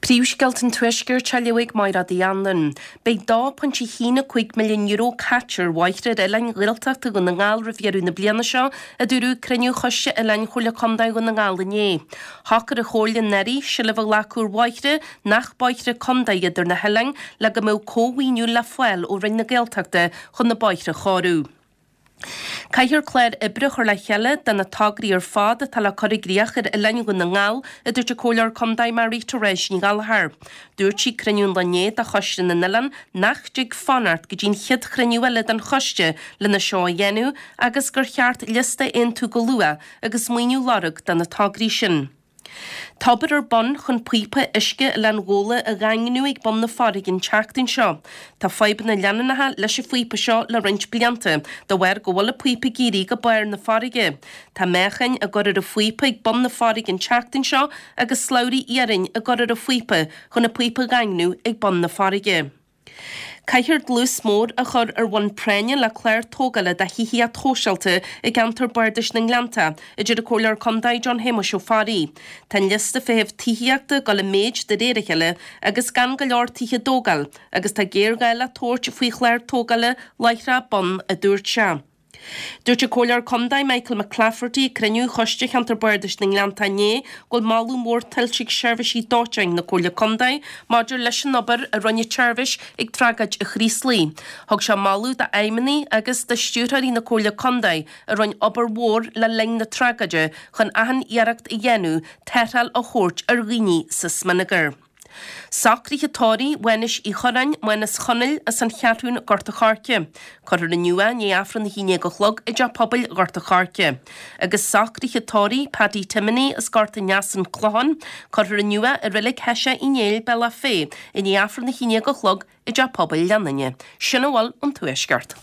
Príomhscéalta an Tuaiscirt á léamh ag Máire Uí Anluain. Beidh €2.15 milliún caite ar bhóithre ar oileáin Ghaeltachta Dhún na nGall roimh dheireadh na bliana seo, a dúradh ag cruinniú Choiste Oileáin Chomhairle Contae Dhún na nGall inné. Shocair an Chomhairle anuraidh seilbh a ghlacadh ar bhóithre nach bóithre contae iad ar na hoileáin le go mbeadh cómhaoiniú le fáil ó Roinn na Gaeltachta chun na bóithre a chóiriú. Caithfear clár oibre a chur le chéile de na tograí ar fad atá le cur i gcríoch ar oileáin Dhún na nGall, a dúirt an Comhairleoir Contae Mary Therese Ní Ghallchóir. Dúirt sí ag cruinniú an lae inné de Choiste na nOileán nach dtig fanacht go dtí an chéad chruinniú eile den choiste lena seo a dhéanamh agus gur cheart liosta a aontú go luath agus maoiniú a lorg do na tograí sin. Tá obair ar bun chun píopa uisce Oileán Ghabhla a dhaingniú ag bun na farraige an tseachtain seo. Tá fadhbanna leanúnacha leis an phíopa seo le roinnt blianta, de bharr go bhfuil an píopa ag éirí go barr na farraige. Tá meáchain á gcur ar an phíopa ag bun na farraige an tseachtain seo agus slabhraí iarainn á gcur ar an phíopa chun an píopa a dhaingniú ag bun na farraige. Caithfear dlús mór a chur ar bhonn práinne le clár tógála de thithíocht shóisialta i gceantar Bardais na nGleannta, a deir an Comhairleoir Contae John Shéamuis Ó Fearraigh. Tá an liosta feithimh tithíochta ag dul i méid de réir a chéile agus gan go leor tithe á dtógáil agus tá géarghá le tabhairt faoi chlár tógála láithreach bonn, a dúirt sé. Dúirt an Comhairleoir Contae Michael McClafferty ag cruinniú Choiste Cheantar Bardais na nGleannta inné go bhfuil moladh mór tuillte ag seirbhísí dóiteáin na Comhairle Contae maidir leis an obair a rinne an tseirbhís ag tragóid an Chraoslaigh. Thug sé moladh d'fheidhmeannaigh agus do stiúrthóirí na Comhairle Contae a rinne obair mhór le linn na tragóide chun achan iarracht a dhéanamh tarrtháil a thabhairt ar dhaoine sa smionagar. Socruithe tórraimh Mhánais Uí Churráin, Mánas Chonaill, as an Cheathrún, Gort a' Choirce. Cuirfear inniu é i ndiaidh Aifreann 11 a chlog i dTeach Pobail Ghort a' Choirce. Agus socruithe tórraimh Paddy Timoney as Gort an Easa, An Clochán. Cuirfear inniu é i Reilig Thoiseach Uí Néill, Bealach Féich, i ndiaidh Aifreann 11 a chlog i dTeach Pobail Leanainne. Sin a bhfuil ón Tuaisceart.